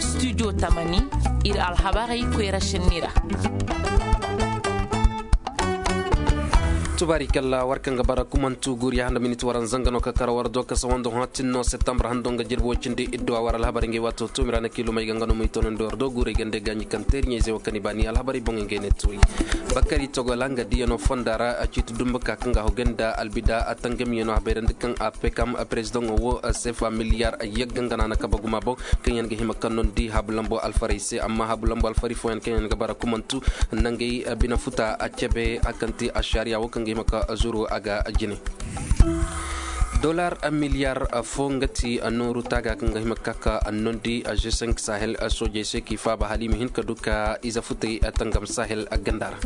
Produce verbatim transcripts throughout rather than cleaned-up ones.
Studio tamani, ir alhabarey koyra šenni ra. Tubaari kalla war kaŋ ga bara kumantu guriya handa miniti waran zanga no ka kara war do ka sawando hatin no septembre hando nga jirbi wo cindi idduwa war alhabar ngay wato tumira na kilomay ga nga no may tonandi war do guray gande gaɲi kaŋ teeriɲey zey wo kani baani alhabarey boŋey ngay ne turi. Bakari togola nga diyano fonda ra a ciiti dumbu ka kaŋ ga hogay nda albida a tangamiyano a bayrandi kaŋ a pekam prezidaŋo wo sefa miliyar yagga nga na na kaba guma boŋ kaŋ yaŋ ga hima kaŋ no ni di habu lambo alfarey se amma habu lambo alfarey fooyaŋ kaŋ yaŋ ga bara kumantu nangey bine futa a cebe a kaŋ ti ašariya wo kaŋ ga hima ka zuru a ga jine. Dolar miliyar fo nga ti nooru taaga kaŋ ga hima ka ka nondi g cinq sahel soojey se k'i faaba hala i ma hin ka du ka ize futey tangam sahel ganda ra.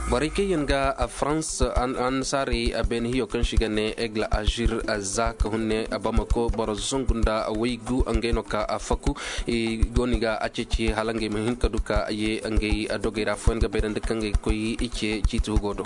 Borey kaŋ yaŋ ga farans annasaarey beene hiyo kaŋ se i ga ne egle azir za ka hunne bamako boro zangu nda waygu ngey no ka faku i go no i ga a ceeci hala ngey ma hin ka du ka ye ngey dogey ra fooyaŋ ga bayrandi kaŋ ngey ga koy i ce ciiti hugo do.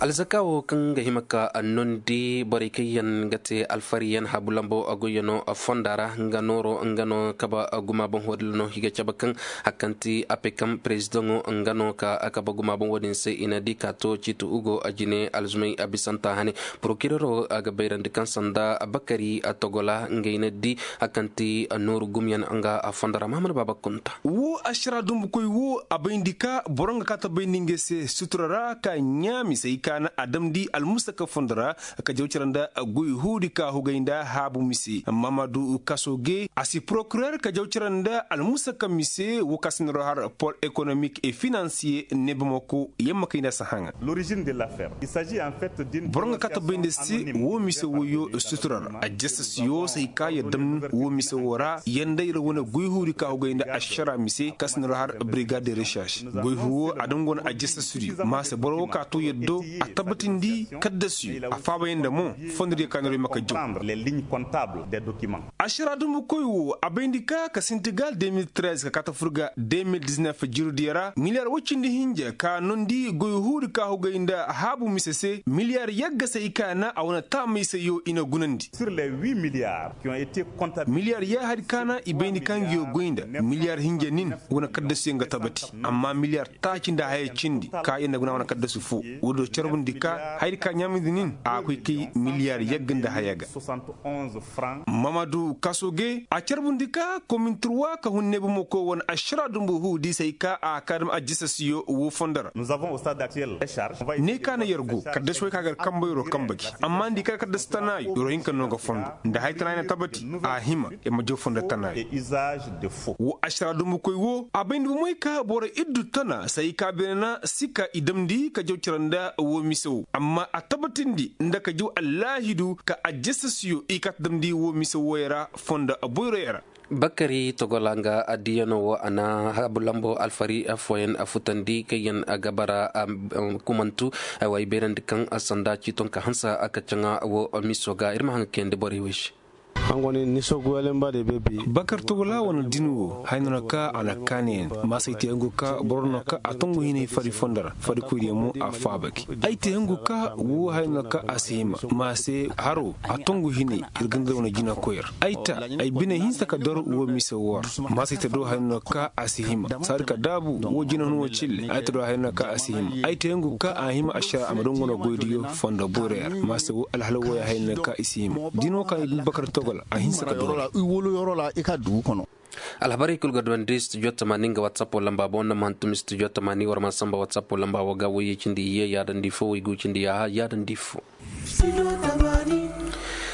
Alzaka wo kaŋ ga hima ka nondi borey kaŋ yaŋ ga te alfariyaŋ habu lambo goyyano fonda ra nga nooro nga no kaba guma boŋ wadilla no i ga cabe kaŋ a kaŋ ti apekam prezidaŋo nga no ka kaba guma boŋ wadin se i na di ka to ciiti ugo a jine alzumay a bisanta hane. Porokirero a ga bayrandi kaŋ sanda bakari a togola ngey na di a kaŋ ti nooru gumyaŋ nga a fonda ra mahamad baaba kunta. Wo ašara dumbukoy wo a bayndi ka boro nga ka ta bayndi ngey se sutura ra ka ɲaami se i ka na a damndi almusaka fondo ra ka jaw cara nda goy huudi ka hugay nda haabu mise mamadu kaso ge a si porokirer ka jaw cara nda almusaka mise wo ka sinaro har pol ekonomik e finansiye ne bamako yamma kay nda sahaŋa. Boro nga ka ta bayndi se wo mise woyo sutura ra a jasa si yo se i ka ya dam wo mise wo ra yanda ira wane goy huudi ka hugay nda ašara mise ka sinaro har brigade de recherche goy huwo a dam go no a jasa sudi ma se boro wo ka to yaddo a tabbatindi kaddasiyo a faaba yanda mo fondodiyo ka noro i ma ka jaw. Ašara dumbukoy wo a bayndi ka ka sintigal deux mille treize ka ka ta fur ga deux mille dix-neuf jirudiyo ra miliyar woy cindi hinja ka nondi goy huudi ka hugay nda haabu mise se miliyar yagga se i ka na a wane taamay se yo i na gunandi. Miliyar yaahadi ka na i bayndi ka ngi yo goy nda miliyar hinja nin wane kaddasiyo nga tabati amma miliyar taaci nda haya cindi ka ya nda guna wane kaddasi fo. Woodiyo carbundi ka hayadi ka ɲaamindi nin a koy kay miliyar yagga nda haya ga. Mamadu kaso ge a carbundi ka kominturwa ka hun neebamako wane ašara dumbu huudi se ay ka a ka dam a jisasiyo wo fondo ra. Ne ka na yer go kaddasi way ka gar kambayro kamba gi amma nda i kar kaddasi tanaayo yoro hinka no ga fondo nda hay tanaayo na tabati a hima. Yer ma jaw fondo tanaayo. Wo ašara dumbukoy wo a bay nda bomey ka boro iddu tana se ay ka beene na si ka i damndi ka jaw cere nda wo mise wo amma a tabatindi nda ka jaw allaahidu ka a jisasiyo i ka ta damndi wo mise wooyo ra fondo boyroyo ra. Bakari togola nga addiyanoo wo a na habu lambo alfari fooyaŋ futandi kaŋ yaŋ ga bara kumantu. Ay beerandi kaŋ sanda ciiton ka hansa a ka caŋa wo miso ga ir ma haŋ ga kayandi borey wey se. Bakar togola wane din wo haya no na ka a na kaani yaŋ ma se ay te yaŋ go ka boro no ka a tongu hinay fari fondo ra fari koydiyaŋ mo a faaba gi. Ay te yaŋ go ka wo haya no na ka a si hima ma se haro a tongu hinay ir ga nda wane jinakoy ra. Ay ta ay bine hinsa ka dor wo mise wo ra ma se ay ta do haya no na ka a si hima saadi ka daabu wo jina hun wo cille ay ta do haya no na ka a si hima. Ay te yaŋ go ka a hima ašara a ma dunguna goydiyo fondo boyro yaŋ ra ma se wo alhala wooya haya no na ka i si hima. Din wo ka i bin bakar togola a hinsa ka dor. Alhabarey kul ga duwandi studio tamani nga whatsapp lamba boŋ nda ma hantum studio tamani war ma samba whatsapp lamba wo ga woyey cindi ye yaadandi fo woy gu cindi yaaha yaadandi fo.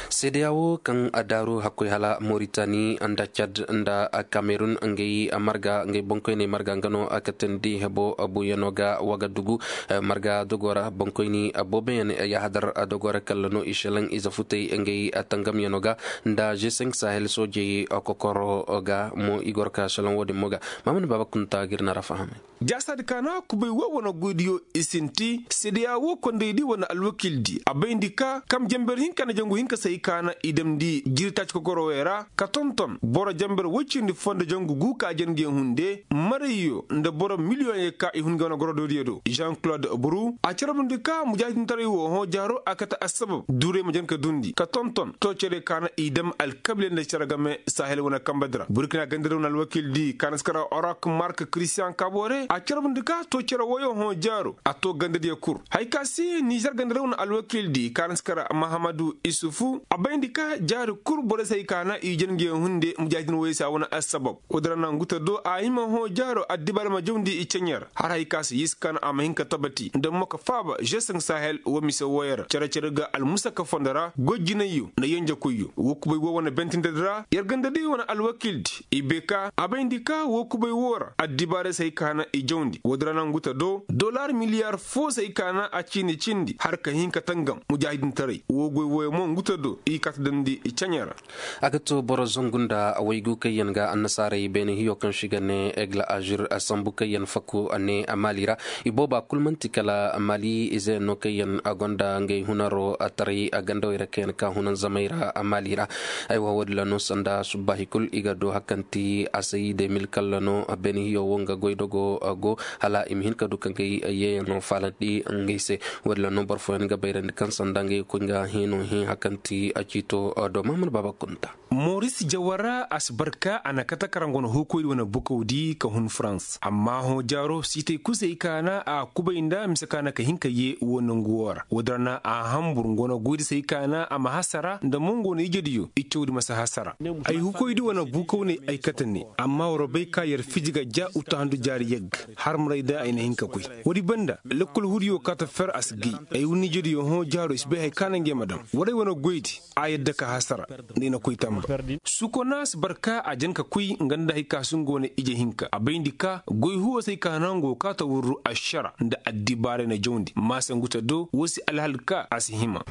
Seedeya wo kaŋ a daaru hakkoy hala moritani nda cad nda kamerun ngey marga ngey boŋkoyney marga nga no a katandi hebo buuyano ga wagadugu. Marga dogo ra boŋkoyni booboyaŋ yaahadar dogo ra kalla no i šelaŋ ize futey ngey tangamyano ga nda g cinq sahel soojey kokoro ga mo i goro ka soloŋ wo-din mo ga. Maamani baaba kunta ga ir na ra fahamay. Jaasaadi ka na kubay wo wane goydiyo i sinti seedeya wo kondaydi wane alwakildi a bayndi ka kam janber hinka na jangu hinka se ay. ka na i damndi jiri taaci kokoro wey ra ka tonton boro jamber woy cindi foo nda jangu gu ka jen ga i hunde marayyo nda boro miliyoŋ yay ka i hun ga wane gorodoodiyo do jean claude buru a carbundi ka mujaahidintaray wo hõ jaaro a kate assabab duuray ma jen ka duundi ka tonton too cere ka na i dam alkabiley nda cere game sahel wane kambedi ra burkina gandari wane alwakildi ka na si kara orak mark christian kabore a carbundi ka too cere woyo hõ jaaro a too gandadiyo kul haya ka se nizer gandari wane alwakildi ka na si kara mahamadu isufu a bayndi ka jaari kul borey se hay ka na i jen ga yaŋ hunde mujaahidin woyey se a wane assabab woodi ra na ngu ta do a hima hõ jaaro addibaara ma jawndi i ceɲe ra har hay ka se yee si ka na a ma hin ka tabati nda mo ka faaba žeseŋ sahel wo mise wooyo ra cere-cere ga almusaka fondo ra goy jinayyo nda yenjekoyyo woo kubay woo wane bentindedi ra yer ganda day wane alwakildi i bay ka a bayndi ka woo kubay woo ra addibaarey se hay ka na i jawndi woodi ra na ngu ta do dollar miliyar foo se hay ka na a ciini cindi har ka hin ka tangam mujaahidintaray woo goy wooyo mo ngu ta do i kaata damndi i ceɲe ra a ga to boro zangu nda waygu kaŋ yaŋ ga annasaarey beene hiyo kaŋ se i ga ne egle azur sambu kaŋ yaŋ fakku a ne maali ra i booba kul man'ti kala maali ize yaŋ no kaŋ yaŋ gonda ngey hunaro taray gandawey ra kaŋ yaŋ ka hunanzamey ra maali ra aywa woodin ra no sanda subbaahi kul i ga du hari kaŋ ti asay de mil kalla no beene hiyo wo nga goydogo go hala i ma hin ka du ka ngey yeeyaŋo faalandi ngey se woodin ra no boro fooyaŋ ga bayrandi kaŋ sanda ngey ga koy nga hino hẽ hari kaŋ ti ciito do mahamad baaba kunta moris jawara a si barka a na kate karaŋ go no huukoydi wane bukawdi ka hun farans amma hõ jaaro siitay kul se hay ka na a kubay nda mise ka na ka hin ka yee woo nangu woo ra woodin ra na a hanbur nga wane goydi se hay ka na a ma hasara nda mo nga wane ijediyo i cawdi ma si hasara ay huukoydi wane bukaw ne ay kate ne amma war bay ka yer fiji ga ja uttahandu jaari yagga har maray da ay na hin ka koy woodi banda lekkol hudiyo kaata fer a si gay ay wunni ijediyo hõ jaaro i si bay hay ka na ngey ma dam waray wane goydi a yadda ka hasara nda i na koy tamba sukona si barka a jan ka koy nga nda hay ka si nga wane ije hinka a bayndi ka goy huwo se hay ka na nga go kaata wurru ašara nda addibaaray na jawndi maasa ngu ta do woo si alhal ka a si hima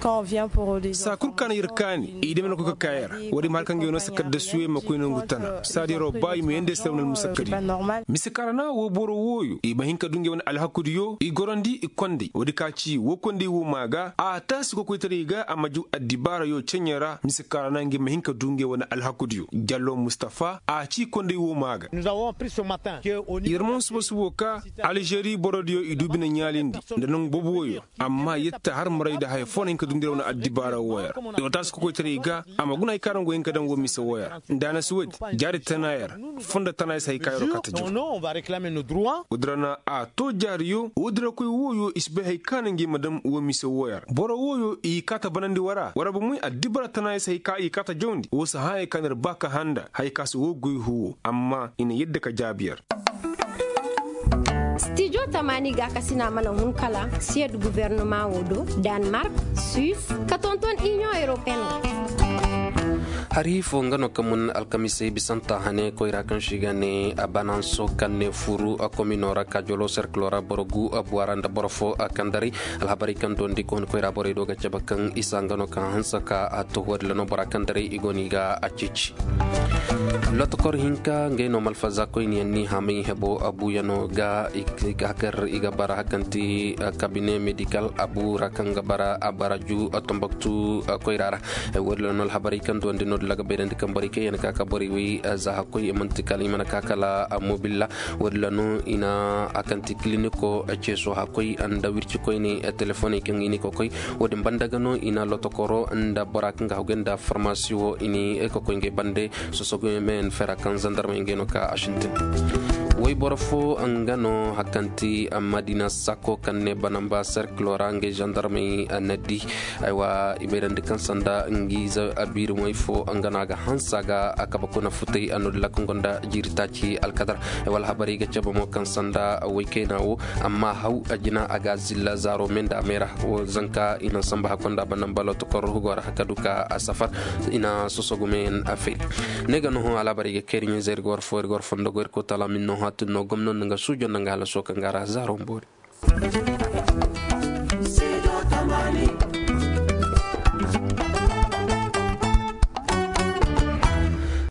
saa kul ka na yer kaani i dame na koy ka kaaya ra woodi ma har kaŋ ga yee no sakar da suwe ma koy nangu tana saadiyaroo ba i ma yeenday sara wane almusakadi mise ka ra na woo boro wooyo i ma hin ka du ngey wane alhakudiyo i gorandi i konday woodi ka ci woo konday woo maa ga a taasi kokoytaray ga a ma ju addibaarayo ceɲe ra mise ka ra na ngey ma hin ka du ngey wane alhakudiyo jallo mustafa a ci konday woo maa ga yer mo suba-subo ka alžeri borodiyo i du bine ɲaalindi nda nangu boobo wooyo amma yetta har maray nda haya foo na hin ka du nda yer wane addibaara wooyo ra i wa taasi kokoytaray ga a ma guna hay ka ra nga go hin ka daŋ woo mise wooyo ra nda a na si woodi jaari tanaaya ra fondo tanaaya se hay ka yeroo kaata jaw woodi ra na a to jaariyo woodi ra koy wooyo i si bay hay ka na ngey ma daŋ woo mise wooyo ra boro wooyo i kaata banandi wara wara bomey addibaara tanaaya se hay ka i kaata jawndi woo si hãayey ka na ir ba ka handa hay ka si woo goy huwo amma i na yadda ka jaabi yer stijo tamaani gaakasina mana hun kala siyed guverneman wo do, danmark, suis, ka tonton inion europeen wo. Hari fo nga no ka mun alkamisey bisanta hane koyra kaŋ se i ga ne a bananso kaŋ ne furu a komino ra kaajolo serkilo ra boro gu a buwa ra nda boro fo a kandaray. Alhabarey kaŋ dondi ka hun koyra borey do ga cabe kaŋ isa nga no ka hanse ka a to woodin ra no bora kandaray i go no i ga a ceeci. Lotokor hinka ngey no malfaza koyniyaŋ ni hamay hebo a buuyano ga i ga kar i ga bara hari kaŋ ti kabine medikal a bu ra kaŋ ga bara a bara ju tomboktu koyra ra. Woodin ra no alhabarey kaŋ duwandi no dila ga bayrandi kaŋ borey kaŋ yaŋ ka ka borey wey za hakkoy i man'ti kala i mana ka kala mobilla. Woodin ra no i na a kaŋ ti kiliniko ceeso hakkoy nda wirci koyne telefoney kaŋ i ni kokoy. Woodin banda ga no i na lotokoro nda bora kaŋ ga haggoy nda farmasi wo i ni kokoy ngey bande. Sosogumen fera kaŋ zandarmey ngey no ka a sintin. Woy boro fo nga no hari kaŋ ti madina sako kaŋ ne banamba serkilo ra ngey zandarmey na di. Aywa i bayrandi kaŋ sanda ngiize abiiri moy fo nga no a ga hanse a ga a kabe kuna futay a no dila kaŋ gonda jiiri taaci alkadar. Aywa alhabarey ga cabe mo kaŋ sanda woy kayna wo amma haw a jina a ga zilla zaaro me nda a meera wo zanka i na samba hakko nda banamba lotokor hugo ra ka du ka a safar i na sosogumeyaŋ a fay. Ne ga no hõ alhabarey ga kayri ɲiize ir ga war fo ir ga war fondo go ir ko tala min no hã tun no gomno nda nga suujo nda nga halaso kaŋ ga ra zaaro mboori.